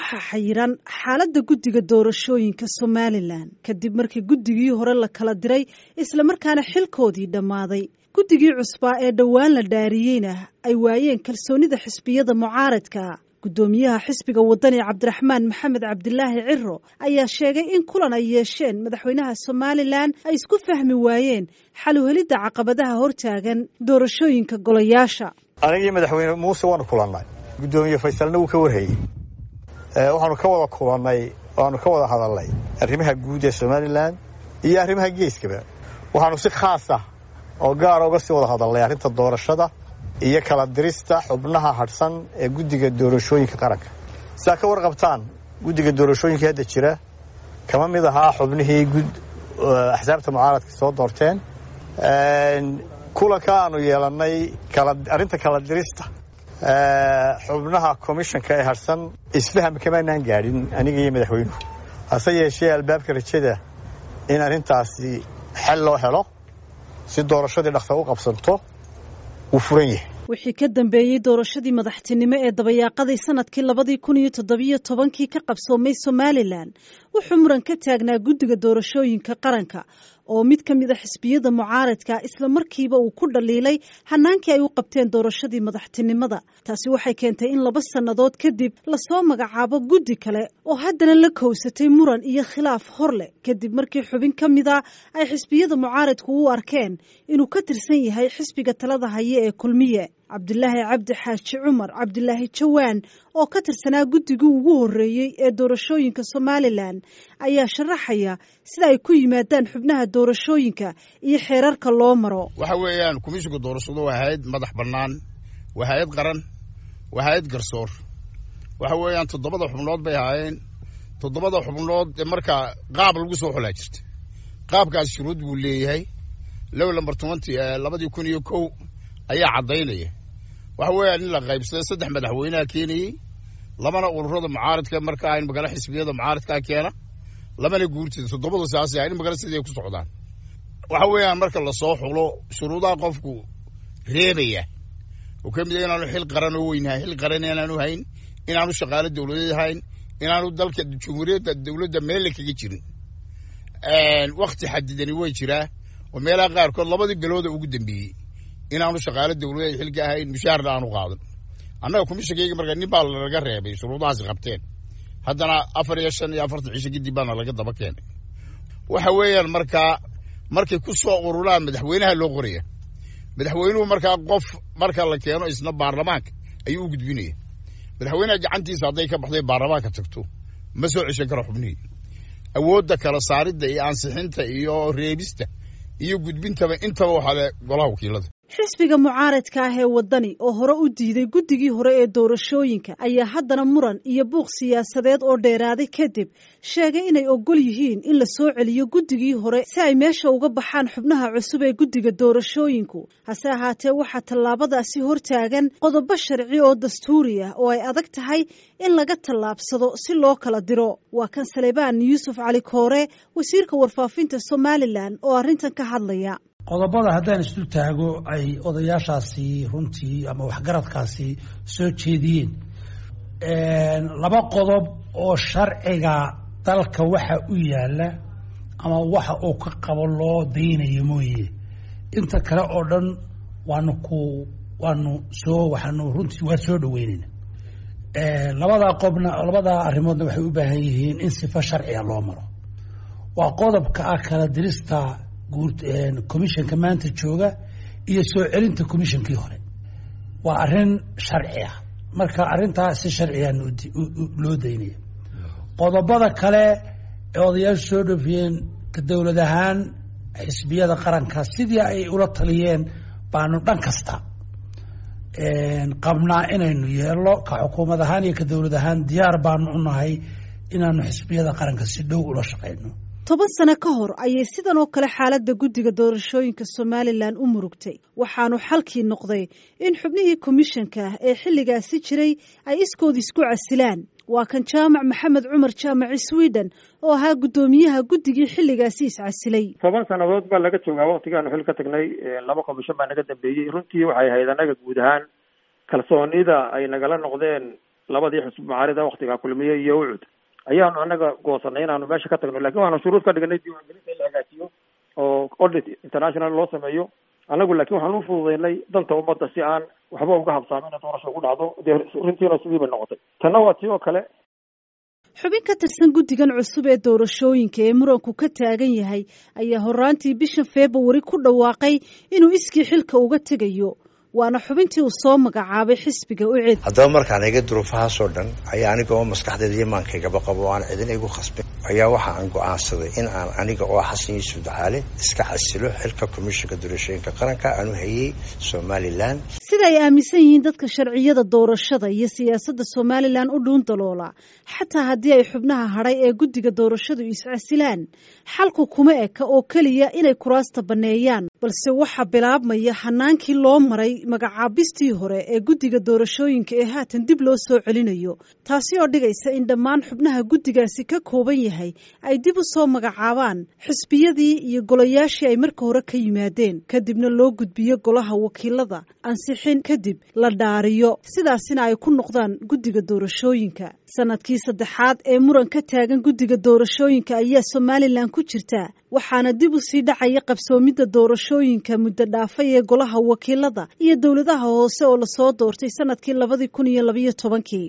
Waxaa xayiran xaaladda guddiga doorashooyinka Somalilan kadib markii guddigii hore la kala diray, islamarkaana xilkoodii dhammaaday. Guddigii cusbaa ee dhowaan la dhaariyeyna ay waayeen kalsoonida xisbiyada mucaaradka. Guddoomiyaha xisbiga Wadani, Cabdiraxmaan Maxamed Cabdilaahi Ciro, ayaa sheegay in kulan ay yeesheen madaxweynaha Somalilan ay isku fahmi waayeen xal u helidda caqabadaha hortaagan doorashooyinka golayaasha. Anigii madaxweyne Muuse waanu kulannay, guddoomiye Faysalna wuu ka warhayey. Waxaanu ka wada kulannay, waanu ka wada hadalnay arrimaha guud ee Somalilan iyo arrimaha geeskaba. Waxaanu si khaas ah oo gaara uga sii wada hadalnay arrinta doorashada iyo kala dirista xubnaha hadhsan ee guddiga doorashooyinka qaranka. Sidaa ka warqabtaan, guddiga doorashooyinka hadda jira kama mid ahaa xubnihii axsaabta mucaaradka soo doorteen. Kulanka aanu yeelannay arrinta kala dirista xubnaha komishanka ee hadhsan isfaham kamaanaan gaadhin aniga iyo madaxweynuhu, hase yeeshee albaabka rajada in arrintaasi xal loo helo si doorashadii dhaqsa u qabsanto wuu furan yahay. Wixii ka dambeeyey doorashadii madaxtinimo ee dabayaaqadii sanadkii 2017-kii ka qabsoomay Somalilan, wuxuu muran ka taagnaa guddiga doorashooyinka qaranka, oo mid ka mid a xisbiyada mucaaradka isla markiiba uu ku dhaliilay hanaankii ay u qabteen doorashadii madaxtinimada. Taasi waxay keentay in 2 sannadood kadib lasoo magacaabo guddi kale oo haddana la kowsatay muran iyo khilaaf hor leh, kadib markii xubin ka mida ay xisbiyada mucaaradku u arkeen inuu ka tirsan yahay xisbiga talada haye ee Kulmiye. Cabdilaahi Cabdi Xaaji Cumar, Cabdilaahi Jawaan, oo ka tirsanaa guddigii ugu horreeyey ee doorashooyinka Somalilan, ayaa sharaxaya sida ay ku yimaadaan xubnaha doorashooyinka iyo xeerarka loo maro. Waxa weeyaan, komishinka doorashadu waa hay-ad madax bannaan, waa hay-ad qaran, waa hay-ad garsoor. Waxa weeyaan, 7da xubnood bay ahaayeen. 7da xubnood markaa qaab lagu soo xulaa jirta. Qaabkaas shuruud buu leeyahay. Low lambar 20 2001 ayaa caddaynaya. Waxa weeyaan in la qaybsaday: 3 madaxweynaha keenayey, 2na ururada mucaaradka markaa in magala xisbiyada mucaaradkaa keena, 2na guurtida. 7du saasay in magala siday ku socdaan. Waxa weeyaan, marka lasoo xulo, shuruudaha qofku reebaya oo ka mid a inaanu xil qaran oo weynhayn, xil qaran inaanu hayn, inaanu shaqaalo dowladeed hayn, inaanu dalka jumhuuriyadda dowladda meelle kaga jirin. Wakti xadidani way jiraa oo meelaha qaarkood labadii bilooda ugu dambeeyey inaanu shaqaalo dowladeed xilka ahayn, mushaharna aanu qaadan. Annaga komishankayga marka nin baa lanaga reebay shuruudahaasi qabteen, haddana 4 iyo 45 cisho kadib baana laga daba keenay. Waxa weeyaan, markaa markay ku soo ururaan, madaxweynaha loo qoraya. Madaxweynuhu markaa qof marka la keeno, isna baarlamaanka ayuu u gudbinaya. Madaxweynaha gacantiisa hadday ka baxday, baarlamaanka tagto, ma soo ceshan karo xubnihii. Awoodda kala saaridda iyo ansixinta iyo reebista iyo gudbintaba intaba waxaa le golaha wakiilada. Xisbiga mucaaradka ah ee Wadani, oo hore u diiday guddigii hore ee doorashooyinka, ayaa haddana muran iyo buuq siyaasadeed oo dheeraaday kadib sheegay inay ogol yihiin in la soo celiyo guddigii hore si ay meesha uga baxaan xubnaha cusub ee guddiga doorashooyinku. Hase ahaatee, waxaa tallaabadaasi hortaagan qodobo sharci oo dastuuri ah oo ay adag tahay in laga tallaabsado si loo kala diro. Waa kan Saleebaan Yuusuf Cali Koore, wasiirka warfaafinta Somalilan, oo arrintan ka hadlaya. Qodobada haddaan isdul taago ay odayaashaasi runtii ama waxgaradkaasi soo jeediyeen, 2 qodob oo sharciga dalka waxa u yaala ama waxa uu ka qabo loo daynayo mooye, inta kale oo dhan waanu ku waanu soo waxaanu runtii waa soo dhaweynayna. Labadaa qobna, labadaa arrimoodna waxay u baahan yihiin in sifo sharciga loo maro. Waa qodobka ah kala dirista guur commissionka maanta jooga iyo soo celinta commissionkii hore. Waa arrin sharci ah, marka arrintaa si sharciga loo daynaya. Qodobada kale ee odayaashu soo dhoofiyeen, ka dowlad ahaan xisbiyada qaranka sidii ay ula taliyeen baanu dhan kasta qabnaa inaynu yeelno. Ka xukuumad ahaan iyo ka dowlad ahaan diyaar baanu u nahay inaanu xisbiyada qaranka si dhow ula shaqayno. 10 sano ka hor ayay sidan oo kale xaaladda guddiga doorashooyinka Somalilan u murugtay, waxaanu xalkii noqday in xubnihii komishanka ee xilligaasi jiray ay iskood isku casilaan. Waa kan Jaamac Maxamed Cumar, Jaamaci Sweden, oo ahaa guddoomiyaha guddigii xilligaasi iscasilay. 10 sannadood baa laga joogaa waktigaanu xil ka tagnay. 2 komishan baa naga dambeeyey. Runtii waxay ahayd annaga guud ahaan kalsoonida ay nagala noqdeen. Labadii xisbi mucaarida waktigaa Kulmiye iyo Ucud ayaanu anaga goosanay inaanu meesha ka tagno, lakin waxaanu shuruud ka dhignay diiwaangelinta in la hagaajiyo oo audit international loo sameeyo. Anagu laakin waxaan u fududaynay danta ummadda si aan waxba uga habsaamin doorasha ugu dhacdo. Dee runtiina sidii bay noqotay. Tanna waa tii oo kale. Xubin ka tirsan guddigan cusub ee doorashooyinka ee muranku ka taagan yahay ayaa horaantii bisha Februari ku dhawaaqay inuu iskii xilka uga tegayo, waana xubintii uu soo magacaabay xisbiga UCID. Haddaba markaan iga duruufahaasoo dhan ayaa aniga oo maskaxdeeda iyo maankaygaba qabo oo aan cidina igu khasbin ayaa waxa aan go'aansaday in aan aniga oo Xasan Yuusuf Ducaale iska xasilo xilka komishinka doorashooyinka qaranka aanu hayay Somalilan. Sida ay aaminsan yihiin dadka sharciyada doorashada iyo siyaasadda Somalilan u dhuun daloola, xataa haddii ay xubnaha hadhay ee guddiga doorashadu iscasilaan, xalku kuma eka oo keliya inay kuraasta banneeyaan, balse waxaa bilaabmaya hanaankii loo maray magacaabistii hore ee guddiga doorashooyinka ee haatan dib loo soo celinayo, taasi oo dhigaysa in dhammaan xubnaha guddigaasi ka kooban yahay ay dib u soo magacaabaan xisbiyadii iyo golayaashii ay marka hore ka yimaadeen, kadibna loo gudbiyo golaha wakiilada, ansixin kadib la dhaariyo, sidaasina ay ku noqdaan guddiga doorashooyinka. Sanadkii saddexaad ee muran ka taagan guddiga doorashooyinka ayaa Somalilan ku jirta, waxaana dib u sii dhacaya qabsoomidda doorashooyinka muddo dhaafay ee golaha wakiilada iyo dowladaha hoose oo lasoo doortay sanadkii 2012-kii.